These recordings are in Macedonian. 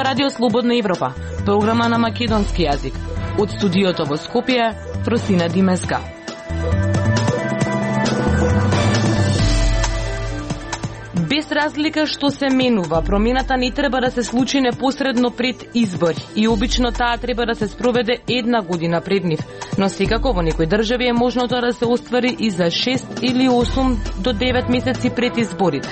Радио Слободна Европа, програма на македонски јазик. Од студиото во Скопје, Фросина Димеска. Без разлика што се менува, промената не треба да се случи непосредно пред избори и обично таа треба да се спроведе една година пред нив. Но секако во некои држави е можно тоа да се оствари и за 6 или 8 до 9 месеци пред изборите.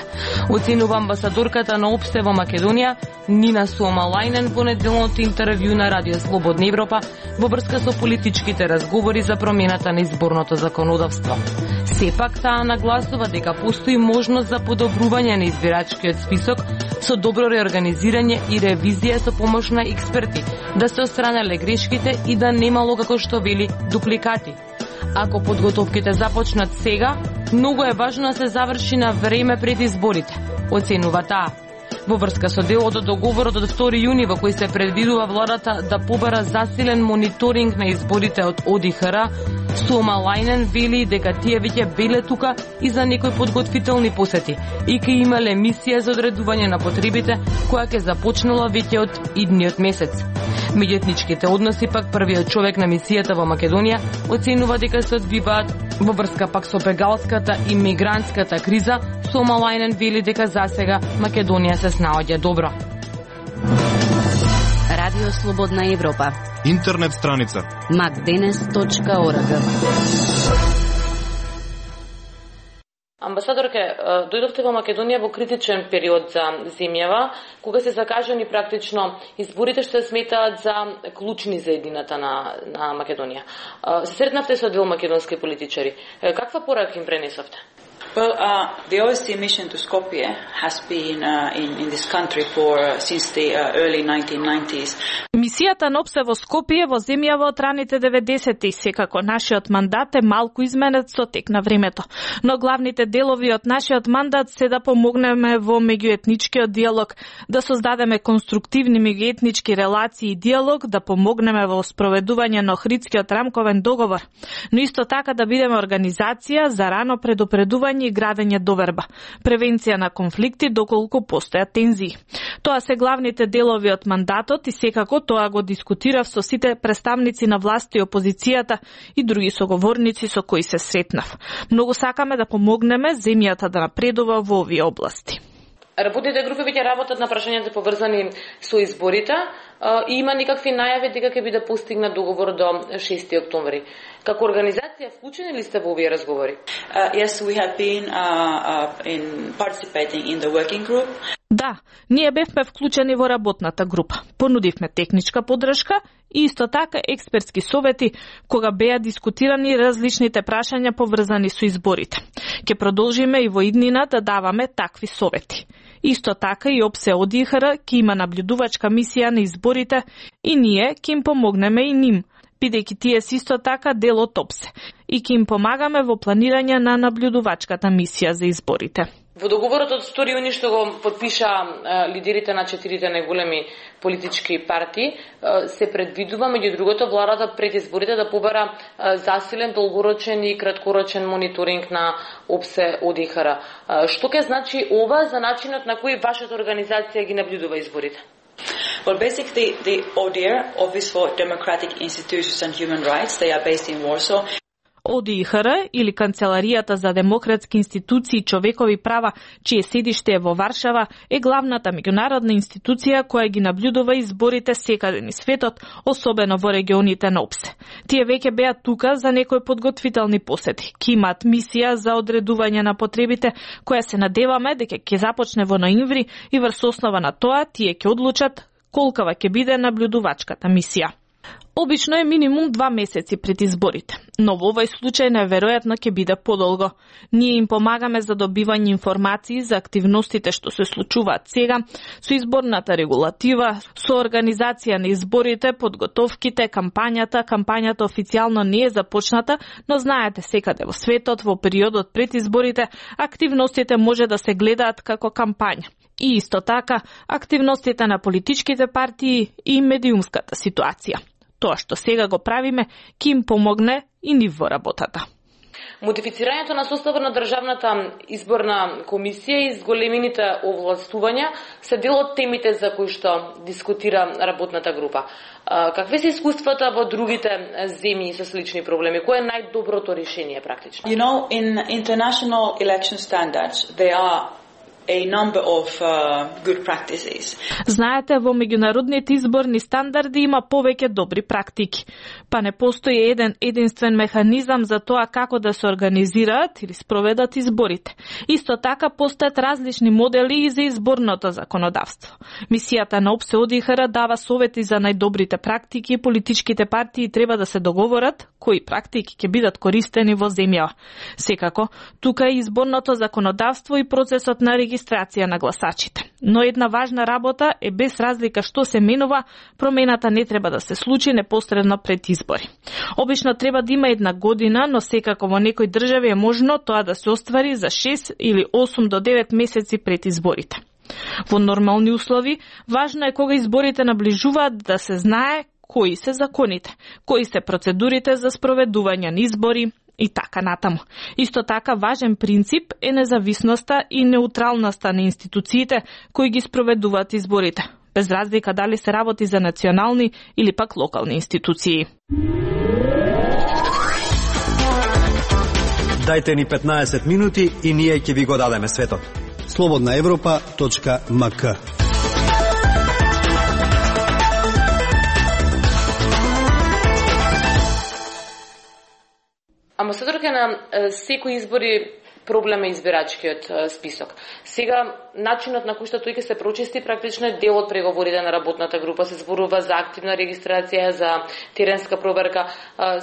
Оценува амбасадорката на ОПСЕ во Македонија, Нина Суомалајнен, во неделното интервју на Радио Слободна Европа во врска со политичките разговори за промената на изборното законодавство. Сепак таа нагласува дека постои можност за подобрување на избирачкиот список со добро реорганизирање и ревизија со помош на експерти, да се отстранеле грешките и да немало, како што вели, дупликати. Ако подготовките започнат сега, многу е важно да се заврши на време пред изборите, оценува таа. Во врска со делот од договорот од 2 јуни во кој се предвидува владата да побара засилен мониторинг на изборите од ОДИХР, Суомалајнен вели дека тие веќе беле тука и за некои подготвителни посети и ќе имале мисија за одредување на потребите која ќе започнала веќе од идниот месец. Меѓуетничките односи пак првиот човек на мисијата во Македонија оценува дека се одвиваат во врска пак со бегалската и мигрантската криза. Суомалајнен вели дека засега Македонија се снаоѓа добро. Радио Слободна Европа. Интернет страница macdenes.org. Амбасадорке, дојдовте во Македонија во критичен период за земјава, кога се закажани практично изборите што се сметаат за клучни за едината на Македонија. Се сретнавте со дел македонски политичари. Каква порака им пренесовте? Well, the OSCE mission to Skopje has been in this country since the early 1990s. Мисијата на ОПСЕ во Скопје во земјава од раните 90-ти, секако нашиот мандат е малку изменет со тек на времето. Но главните делови од нашиот мандат се да помогнеме во меѓуетничкиот диалог, да создадеме конструктивни меѓуетнички релации и диалог, да помогнеме во спроведување на Охридскиот рамковен договор, но исто така да бидеме организација за рано предупредување и градење доверба, превенција на конфликти доколку постојат тензии. Тоа се главните делови од мандатот и секако тоа го дискутирав со сите представници на власт и опозицијата и други соговорници со кои се сретнав. Многу сакаме да помогнеме земјата да напредува во овие области. Работните групи веќе работат на прашањата поврзани со изборите и има никакви најави дека ќе биде постигнат договор до 6 октомври. Како организација вклучени ли сте во овие разговори? Yes, we have been participating in the working group. Да, ние бевме вклучени во работната група. Понудивме техничка поддршка и исто така експертски совети кога беа дискутирани различните прашања поврзани со изборите. Ќе продолжиме и во иднина да даваме такви совети. Исто така и ОПСЕ ОДИХР ќе има наблюдувачка мисија на изборите и ние ќе им помогнеме и ним, бидејќи тие се исто така дел од ОПСЕ и ќе им помагаме во планирање на наблюдувачката мисија за изборите. Во договорот од 2 јуни што го подпиша лидерите на 4 најголеми политички партии, се предвидува меѓу другото владата пред изборите да побара засилен долгорочен и краткорочен мониторинг на ОПСЕ ОДИХР. Што ќе значи ова за начинот на кој вашата организација ги наблюдува изборите? Well, basically, the ODIHR, Office for Democratic Institutions and Human Rights, they are based in Warsaw. ОДИХР или Канцеларијата за демократски институции и човекови права, чие седиште е во Варшава, е главната меѓународна институција која ги наблюдува изборите секаде низ светот, особено во регионите на ОПСЕ. Тие веќе беа тука за некои подготвителни посети. Ки имаат мисија за одредување на потребите, која се надеваме дека ќе започне во ноември и врз основа на тоа тие ќе одлучат колкава ќе биде наблюдувачката мисија. Обично е минимум 2 месеци пред изборите, но во овој случај најверојатно ќе биде подолго. Ние им помагаме за добивање информации за активностите што се случуваат сега, со изборната регулатива, со организација на изборите, подготовките, кампањата официјално не е започната, но знаете секаде во светот во периодот пред изборите активностите може да се гледаат како кампања. И исто така активностите на политичките партии и медиумската ситуација. Тоа што сега го правиме ќе им помогне и нив во работата. Модифицирањето на составот на државната изборна комисија и зголемените овластувања се дел од темите за кои што дискутира работната група. Какви се искуствата во другите земји со слични проблеми? Кој е најдоброто решение практично? You know, in international election standards, there are a number of good practices. Знаете, во меѓународните изборни стандарди има повеќе добри практики, па не постои единствен механизам за тоа како да се организираат или спроведат изборите. Исто така постојат различни модели и за изборното законодавство. Мисијата на ОПСЕ ОДИХР дава совети за најдобрите практики и политичките партии треба да се договорат кои практики ќе бидат користени во земјава. Секако, тука е изборното законодавство и процесот на регистрација на гласачите. Но една важна работа е без разлика што се менува, промената не треба да се случи непосредно пред избори. Обично треба да има една година, но секако во некои држави е можно тоа да се оствари за 6 или 8 до 9 месеци пред изборите. Во нормални услови, важно е кога изборите наближуваат да се знае кои се законите, кои се процедурите за спроведување на избори и така натаму. Исто така важен принцип е независноста и неутралноста на институциите кои ги спроведуваат изборите, без разлика дали се работи за национални или пак локални институции. Дајте ни 15 минути и ние ќе ви го дадеме светот. slobodnaevropa.mk. Амбасадорка на секој избори проблем е избирачкиот список. Сега, начинот на кој што тој ќе се прочисти практично е дел од преговорите на работната група. Се зборува за активна регистрација, за теренска проверка.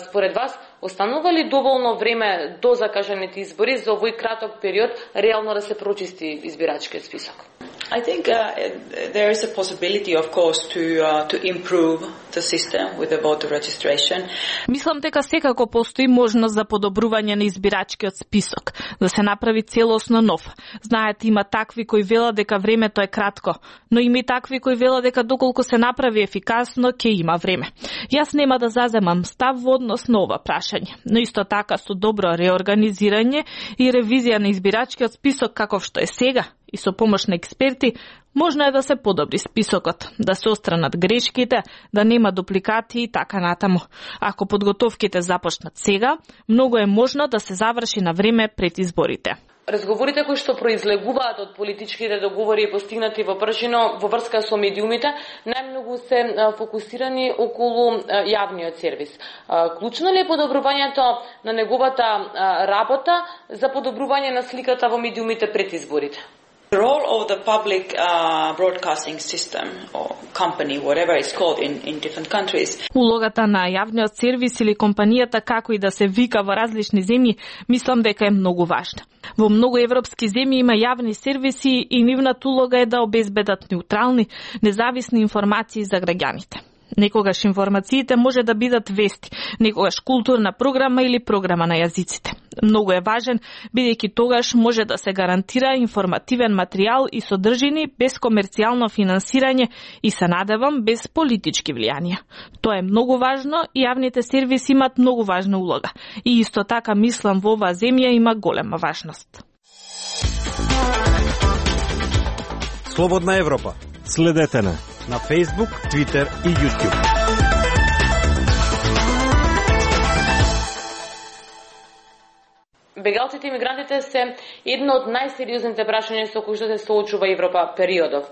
Според вас, останува ли доволно време до закажаните избори за овој краток период реално да се прочисти избирачкиот список? I think there is a possibility, of course, to improve the system with the voter registration. Мислам дека секако постои можност за подобрување на избирачкиот список, да се направи целосно нов. Знаете, има такви кои велат дека времето е кратко, но има и такви кои велат дека доколку се направи ефикасно, ќе има време. Јас нема да заземам став во однос на ова прашање, но исто така со добро реорганизирање и ревизија на избирачкиот список каков што е сега, и со помош на експерти, можно е да се подобри списокот, да се отстранат грешките, да нема дупликати и така натаму. Ако подготовките започнат сега, многу е можно да се заврши на време пред изборите. Разговорите кои што произлегуваат од политичките договори и постигнати во прашино во врска со медиумите, најмногу се фокусирани околу јавниот сервис. Клучно ли е подобрувањето на неговата работа за подобрување на сликата во медиумите пред изборите? The role of the public broadcasting system or company, whatever it's called in different countries. Улогата на јавниот сервис или компанијата, како и да се вика во различни земји, мислам дека е многу важна. Во многу европски земји има јавни сервиси и нивната улога е да обезбедат неутрални, независни информации за граѓаните. Некогаш информациите може да бидат вести, некогаш културна програма или програма на јазиците. Многу е важен, бидејќи тогаш може да се гарантира информативен материјал и содржини без комерцијално финансирање и се надевам без политички влијанија. Тоа е многу важно и јавните сервиси имат многу важна улога. И исто така мислам во оваа земја има голема важност. Слободна Европа. Следете на Facebook, Twitter и YouTube. Бегалците и мигрантите се едно од најсериозните прашања со кои што се соочува Европа периодов.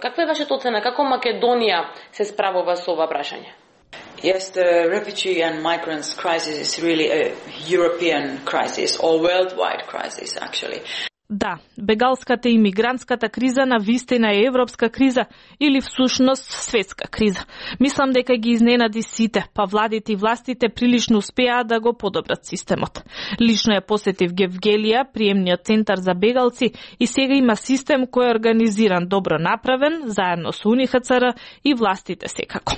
Каква е вашата оцена? Како Македонија се справува со ова прашање? Yes, the refugee and migrants crisis is really a European crisis or worldwide crisis, actually. Да, бегалската и мигрантската криза на вистина е европска криза или всушност светска криза. Мислам дека ги изненади сите, па владите и властите прилично успеа да го подобрат системот. Лично ја посетив Гевгелија, приемниот центар за бегалци, и сега има систем кој е организиран, добро направен, заедно со УНХЦР и властите секако.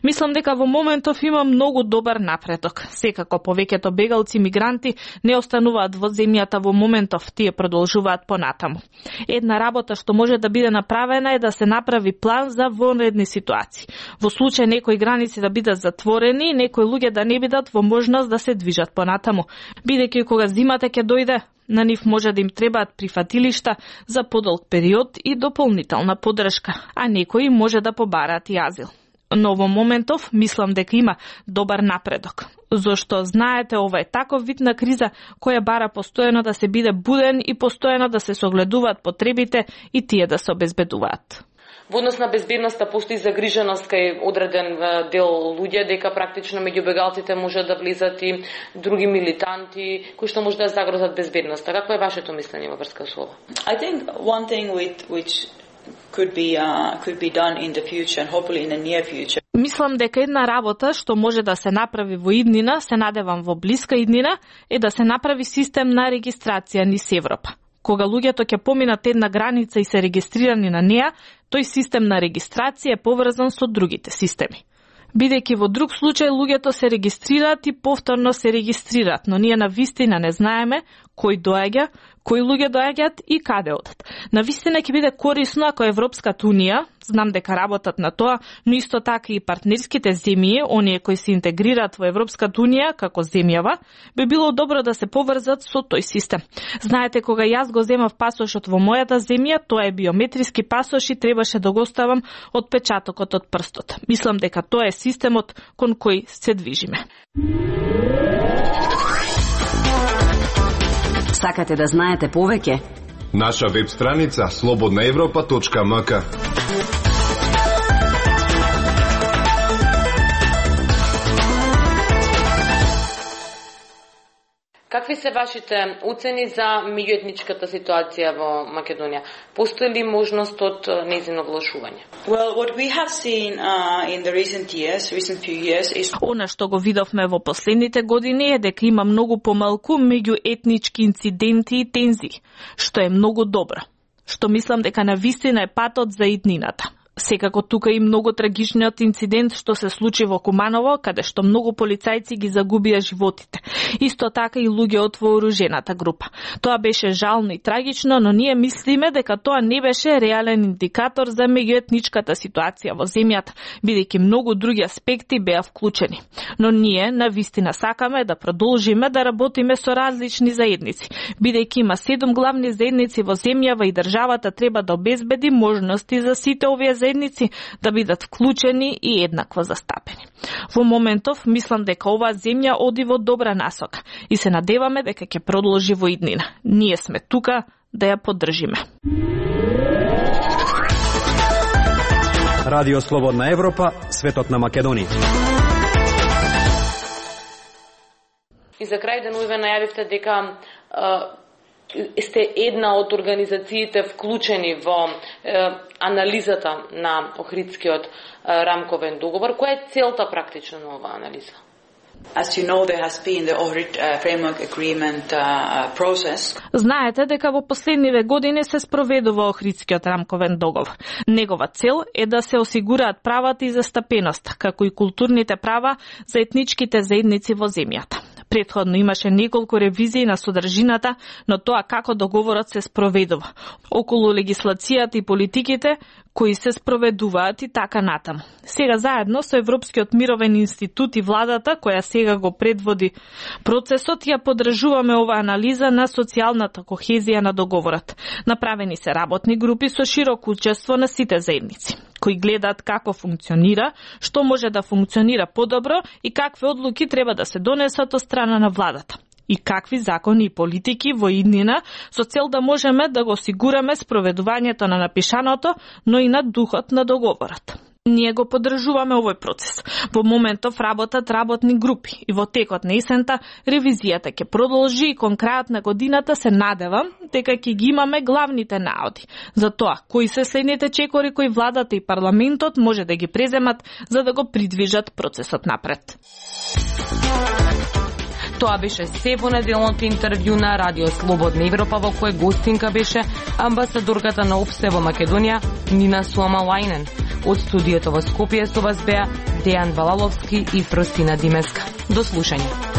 Мислам дека во моментов има многу добар напредок. Секако повеќето бегалци и мигранти не остануваат во земјата во моментов, тие продолжуваат обезбедуваат понатаму. Една работа што може да биде направена е да се направи план за вонредни ситуации. Во случај некои граници да бидат затворени, некои луѓе да не бидат во можност да се движат понатаму, бидејќи кога зимата ќе дојде, на нив може да им требаат прифатилишта за подолг период и дополнителна поддршка, а некои може да побараат и азил. Но во моментов мислам дека има добар напредок, зашто знаете ова е таков вид на криза која бара постојано да се биде буден и постојано да се согледуваат потребите и тие да се обезбедуваат. Во однос на безбедноста постои загриженост кај одреден дел луѓе дека практично меѓу бегалците може да влизат и други милитанти кои што може да загрозат безбедноста. Какво е вашето мислење во врска со ова? I think one thing which could be done in the future and hopefully in the near future. Мислам дека една работа што може да се направи во иднина, се надевам во блиска иднина, е да се направи систем на регистрација низ Европа. Кога луѓето ќе поминат една граница и се регистрирани на неа, тој систем на регистрација е поврзан со другите системи. Бидејќи во друг случај луѓето се регистрираат и повторно се регистрираат, но ние навистина не знаеме кој доаѓа, кои луѓе доаѓаат и каде одат. Навистина ќе биде корисно ако Европската унија, знам дека работат на тоа, но исто така и партнерските земји, оние кои се интегрираат во Европската унија како земјава, би било добро да се поврзат со тој систем. Знаете, кога јас го земав пасошот во мојата земја, тоа е биометриски пасош и требаше да го оставам отпечатокот од прстот. Мислам дека тоа е системот кон кој се движиме. Сакате да знаете повеќе? Наша веб страница slobodnaevropa.mk. Какви се вашите оцени за меѓуетничката ситуација во Македонија? Постои ли можност од нејзино влошување? Well, what we have seen in the recent few years is Она што го видовме во последните години е дека има многу помалку меѓуетнички инциденти и тензии, што е многу добро. Што мислам дека навистина е патот за иднината. Секако тука и многу трагичниот инцидент што се случи во Куманово, каде што многу полицајци ги загубија животите. Исто така и луѓе од вооружената група. Тоа беше жално и трагично, но ние мислиме дека тоа не беше реален индикатор за меѓуетничката ситуација во земјата, бидејќи многу други аспекти беа вклучени. Но ние навистина сакаме да продолжиме да работиме со различни заедници, бидејќи има 7 главни заедници во земјава и државата треба да обезбеди можности за сите овие заедници да бидат вклучени и еднакво застапени. Во моментов мислам дека оваа земја оди во добра насока и се надеваме дека ќе продолжи во иднина. Ние сме тука да ја поддржиме. Радио Слободна Европа, светот на Македонија. И за крај денуве најавивте дека сте една од организациите вклучени во анализата на Охридскиот рамковен договор. Која е целта практично на оваа анализа? As you know, there has been the Ohrid framework agreement process. Знаете дека во последниве години се спроведува Охридскиот рамковен договор. Негова цел е да се осигураат правата и застапеноста, како и културните права за етничките заедници во земјата. Претходно имаше неколку ревизии на содржината, но тоа како договорот се спроведува, околу легислацијата и политиките кои се спроведуваат и така натаму. Сега заедно со Европскиот мировен институт и владата, која сега го предводи процесот, ја поддржуваме оваа анализа на социјалната кохезија на договорот. Направени се работни групи со широко учество на сите заедници, кои гледаат како функционира, што може да функционира подобро и какви одлуки треба да се донесат од страна на владата. И какви закони и политики во иднина со цел да можеме да го осигураме спроведувањето на напишаното, но и на духот на договорот. Ние го поддржуваме овој процес. Во моментов работат работни групи и во текот на есента ревизијата ќе продолжи и кон крајот на годината се надевам дека ќе ги имаме главните наоди за тоа кои се следните чекори кои владата и парламентот може да ги преземат за да го придвижат процесот напред. Тоа беше се во неделното интервју на Радио Слободна Европа, во кој гостинка беше амбасадорката на ОПСЕ во Македонија Нина Суамалајнен. Од студиото во Скопје со вас беа Дејан Балаловски и Фростина Димеска. До слушање.